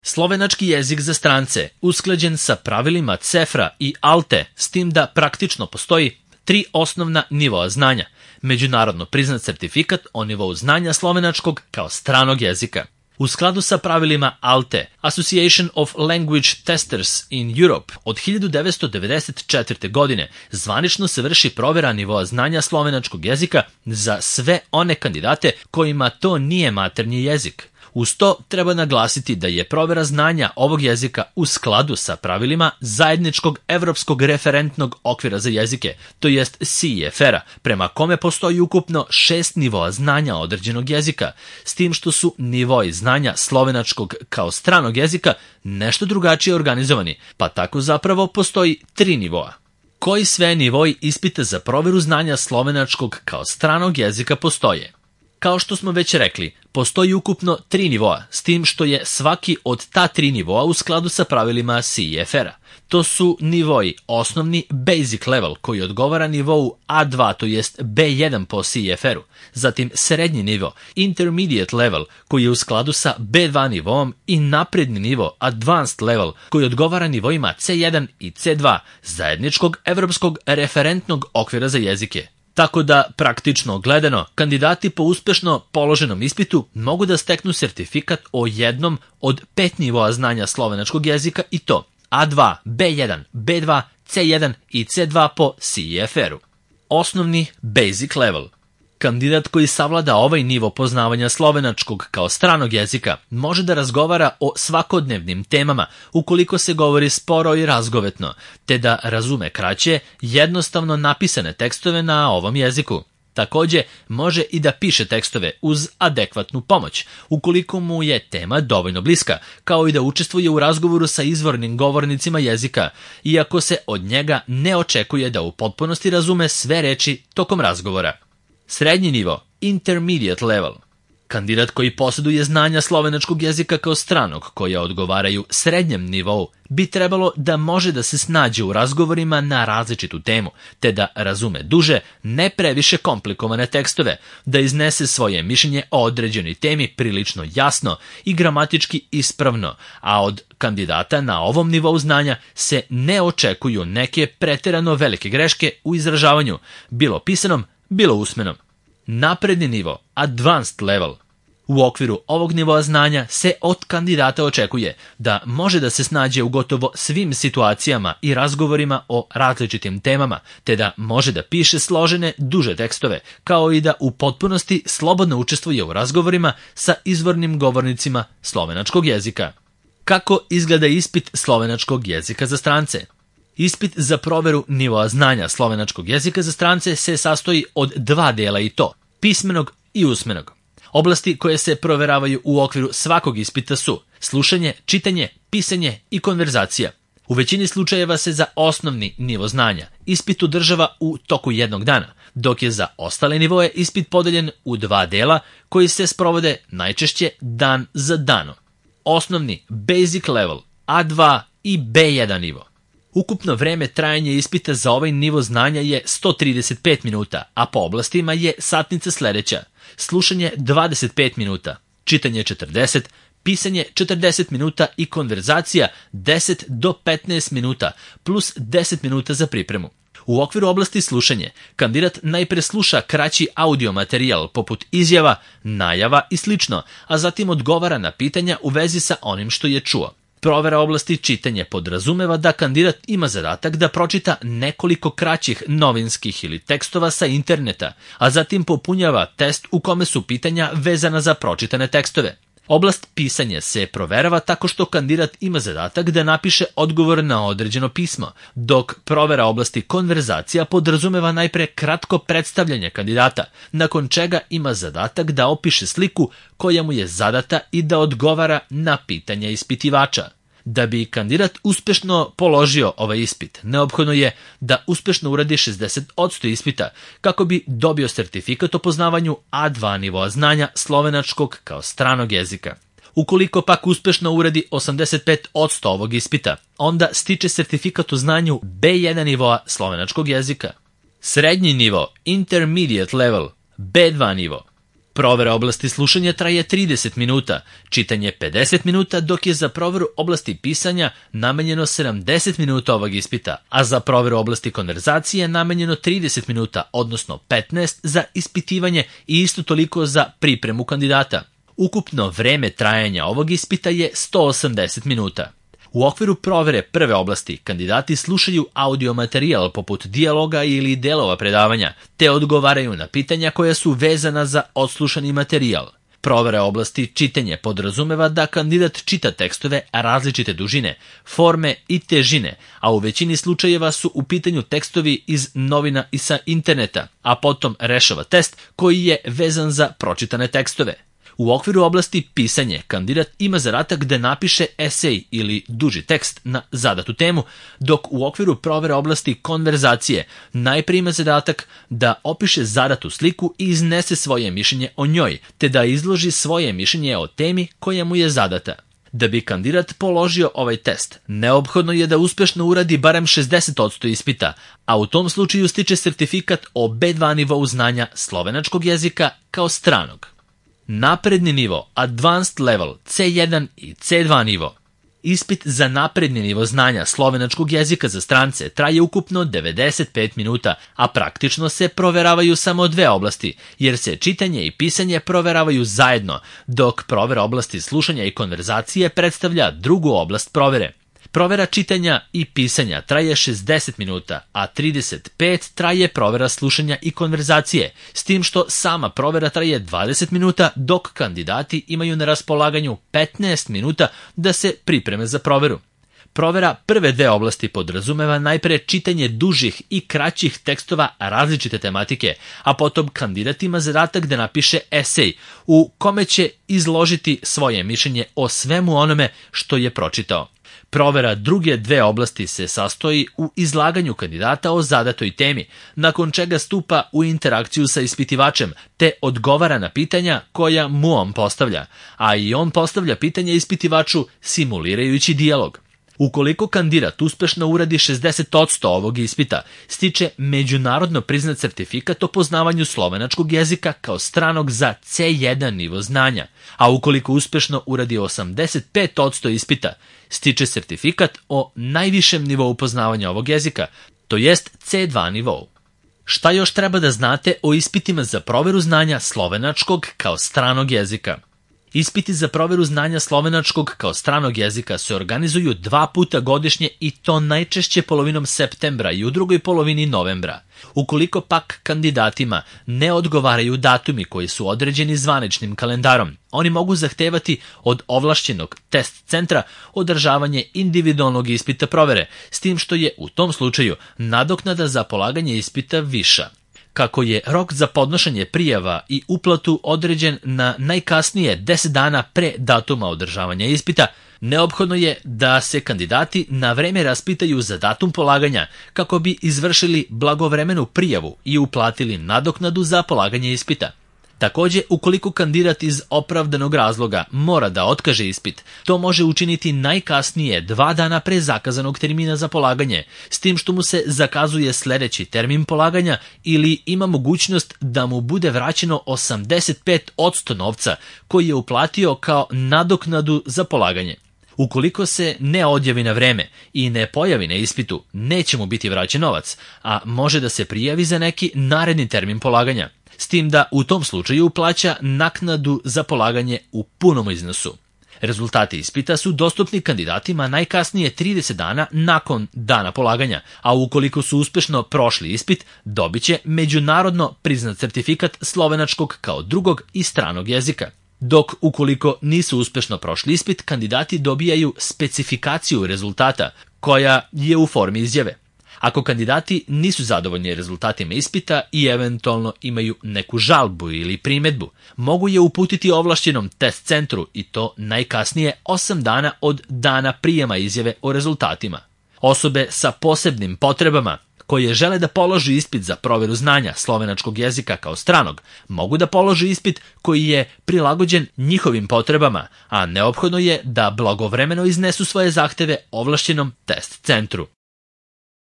Slovenački jezik za strance usklađen sa pravilima CEFRA i ALTE, s tim da praktično postoji 3 osnovna nivoa znanja. Međunarodno priznat certifikat o nivou znanja slovenačkog kao stranog jezika. U skladu sa pravilima ALTE, Association of Language Testers in Europe, od 1994. godine zvanično se vrši provera nivoa znanja slovenačkog jezika za sve one kandidate kojima to nije maternji jezik. Uz to treba naglasiti da je provera znanja ovog jezika u skladu sa pravilima zajedničkog evropskog referentnog okvira za jezike, to jest CEFR-a, prema kome postoji ukupno 6 nivoa znanja određenog jezika, s tim što su nivoi znanja slovenačkog kao stranog jezika nešto drugačije organizovani, pa tako zapravo postoji 3 nivoa. Koji sve nivoi ispita za proveru znanja slovenačkog kao stranog jezika postoje? Kao što smo već rekli, postoji ukupno 3 nivoa, s tim što je svaki od ta 3 nivoa u skladu sa pravilima CEFR-a. To su nivoi osnovni basic level koji odgovara nivou A2, to jest B1 po CEFR-u, zatim srednji nivo intermediate level koji je u skladu sa B2 nivom i napredni nivo advanced level koji odgovara nivoima C1 i C2 zajedničkog evropskog referentnog okvira za jezike. Tako da, praktično gledano, kandidati po uspešno položenom ispitu mogu da steknu sertifikat o jednom od 5 nivoa znanja slovenačkog jezika i to A2, B1, B2, C1 i C2 po CEFR-u. Osnovni basic level. Kandidat koji savlada ovaj nivo poznavanja slovenačkog kao stranog jezika može da razgovara o svakodnevnim temama ukoliko se govori sporo i razgovetno, te da razume kraće, jednostavno napisane tekstove na ovom jeziku. Takođe, može i da piše tekstove uz adekvatnu pomoć, ukoliko mu je tema dovoljno bliska, kao i da učestvuje u razgovoru sa izvornim govornicima jezika, iako se od njega ne očekuje da u potpunosti razume sve reči tokom razgovora. Srednji nivo, intermediate level. Kandidat koji posjeduje znanja slovenačkog jezika kao stranog, koja odgovaraju srednjem nivou, bi trebalo da može da se snađe u razgovorima na različitu temu, te da razume duže, ne previše komplikovane tekstove, da iznese svoje mišljenje o određenoj temi prilično jasno i gramatički ispravno, a od kandidata na ovom nivou znanja se ne očekuju neke preterano velike greške u izražavanju, bilo pisanom, bilo usmenom. Napredni nivo, advanced level. U okviru ovog nivoa znanja se od kandidata očekuje da može da se snađe u gotovo svim situacijama i razgovorima o različitim temama, te da može da piše složene, duže tekstove, kao i da u potpunosti slobodno učestvuje u razgovorima sa izvornim govornicima slovenačkog jezika. Kako izgleda ispit slovenačkog jezika za strance? Ispit za proveru nivoa znanja slovenačkog jezika za strance se sastoji od 2 dela i to, pismenog i usmenog. Oblasti koje se proveravaju u okviru svakog ispita su slušanje, čitanje, pisanje i konverzacija. U većini slučajeva se za osnovni nivo znanja ispit održava u toku jednog dana, dok je za ostale nivoje ispit podeljen u 2 dela koji se sprovode najčešće dan za danom. Osnovni basic level, A2 i B1 nivo. Ukupno vreme trajanja ispita za ovaj nivo znanja je 135 minuta, a po oblastima je satnica sledeća. Slušanje 25 minuta, čitanje 40, pisanje 40 minuta i konverzacija 10 do 15 minuta, plus 10 minuta za pripremu. U okviru oblasti slušanje, kandidat najpre sluša kraći audio materijal poput izjava, najava i slično, a zatim odgovara na pitanja u vezi sa onim što je čuo. Provera oblasti čitanja podrazumeva da kandidat ima zadatak da pročita nekoliko kraćih novinskih ili tekstova sa interneta, a zatim popunjava test u kome su pitanja vezana za pročitane tekstove. Oblast pisanja se proverava tako što kandidat ima zadatak da napiše odgovor na određeno pismo, dok provera oblasti konverzacija podrazumeva najpre kratko predstavljanje kandidata, nakon čega ima zadatak da opiše sliku koja mu je zadata i da odgovara na pitanja ispitivača. Da bi kandidat uspešno položio ovaj ispit, neophodno je da uspešno uradi 60% ispita kako bi dobio sertifikat o poznavanju A2 nivoa znanja slovenačkog kao stranog jezika. Ukoliko pak uspešno uradi 85% ovog ispita, onda stiče sertifikat o znanju B1 nivoa slovenačkog jezika. Srednji nivo, intermediate level, B2 nivo. Provera oblasti slušanja traje 30 minuta, čitanje 50 minuta, dok je za proveru oblasti pisanja namenjeno 70 minuta ovog ispita, a za proveru oblasti konverzacije namenjeno 30 minuta, odnosno 15 za ispitivanje i isto toliko za pripremu kandidata. Ukupno vreme trajanja ovog ispita je 180 minuta. U okviru provere prve oblasti kandidati slušaju audio materijal poput dijaloga ili delova predavanja, te odgovaraju na pitanja koja su vezana za odslušani materijal. Provera oblasti čitanje podrazumeva da kandidat čita tekstove različite dužine, forme i težine, a u većini slučajeva su u pitanju tekstovi iz novina i sa interneta, a potom rešava test koji je vezan za pročitane tekstove. U okviru oblasti pisanje, kandidat ima zadatak da napiše esej ili duži tekst na zadatu temu, dok u okviru provere oblasti konverzacije najprije ima zadatak da opiše zadatu sliku i iznese svoje mišljenje o njoj, te da izloži svoje mišljenje o temi koja mu je zadata. Da bi kandidat položio ovaj test, neophodno je da uspešno uradi barem 60% ispita, a u tom slučaju stiče sertifikat o B2 nivou znanja slovenačkog jezika kao stranog. Napredni nivo, advanced level, C1 i C2 nivo. Ispit za napredni nivo znanja slovenačkog jezika za strance traje ukupno 95 minuta, a praktično se proveravaju samo dve oblasti, jer se čitanje i pisanje proveravaju zajedno, dok provera oblasti slušanja i konverzacije predstavlja drugu oblast provere. Provera čitanja i pisanja traje 60 minuta, a 35 traje provera slušanja i konverzacije, s tim što sama provera traje 20 minuta, dok kandidati imaju na raspolaganju 15 minuta da se pripreme za proveru. Provera prve dve oblasti podrazumeva najpre čitanje dužih i kraćih tekstova različite tematike, a potom kandidat ima zadatak da napiše esej u kome će izložiti svoje mišljenje o svemu onome što je pročitao. Provera druge dve oblasti se sastoji u izlaganju kandidata o zadatoj temi, nakon čega stupa u interakciju sa ispitivačem, te odgovara na pitanja koja mu on postavlja, a i on postavlja pitanja ispitivaču simulirajući dijalog. Ukoliko kandidat uspešno uradi 60% ovog ispita, stiče međunarodno priznat sertifikat o poznavanju slovenačkog jezika kao stranog za C1 nivo znanja, a ukoliko uspešno uradi 85% ispita, stiče sertifikat o najvišem nivou poznavanja ovog jezika, to jest C2 nivou. Šta još treba da znate o ispitima za proveru znanja slovenačkog kao stranog jezika? Ispiti za proveru znanja slovenačkog kao stranog jezika se organizuju 2 puta godišnje i to najčešće polovinom septembra i u drugoj polovini novembra. Ukoliko pak kandidatima ne odgovaraju datumi koji su određeni zvaničnim kalendarom, oni mogu zahtevati od ovlašćenog test centra održavanje individualnog ispita provere, s tim što je u tom slučaju nadoknada za polaganje ispita viša. Kako je rok za podnošenje prijava i uplatu određen na najkasnije 10 dana pre datuma održavanja ispita, neophodno je da se kandidati na vreme raspitaju za datum polaganja kako bi izvršili blagovremenu prijavu i uplatili nadoknadu za polaganje ispita. Takođe, ukoliko kandidat iz opravdanog razloga mora da otkaže ispit, to može učiniti najkasnije 2 dana pre zakazanog termina za polaganje, s tim što mu se zakazuje sledeći termin polaganja ili ima mogućnost da mu bude vraćeno 85% novca koji je uplatio kao nadoknadu za polaganje. Ukoliko se ne odjavi na vreme i ne pojavi na ispitu, neće mu biti vraćen novac, a može da se prijavi za neki naredni termin polaganja, s tim da u tom slučaju plaća naknadu za polaganje u punom iznosu. Rezultati ispita su dostupni kandidatima najkasnije 30 dana nakon dana polaganja, a ukoliko su uspešno prošli ispit, dobit će međunarodno priznat sertifikat slovenačkog kao drugog i stranog jezika. Dok ukoliko nisu uspešno prošli ispit, kandidati dobijaju specifikaciju rezultata koja je u formi izjave. Ako kandidati nisu zadovoljni rezultatima ispita i eventualno imaju neku žalbu ili primedbu, mogu je uputiti ovlašćenom test centru i to najkasnije 8 dana od dana prijema izjave o rezultatima. Osobe sa posebnim potrebama koje žele da položi ispit za proveru znanja slovenačkog jezika kao stranog, mogu da položi ispit koji je prilagođen njihovim potrebama, a neophodno je da blagovremeno iznesu svoje zahteve ovlašćenom test centru.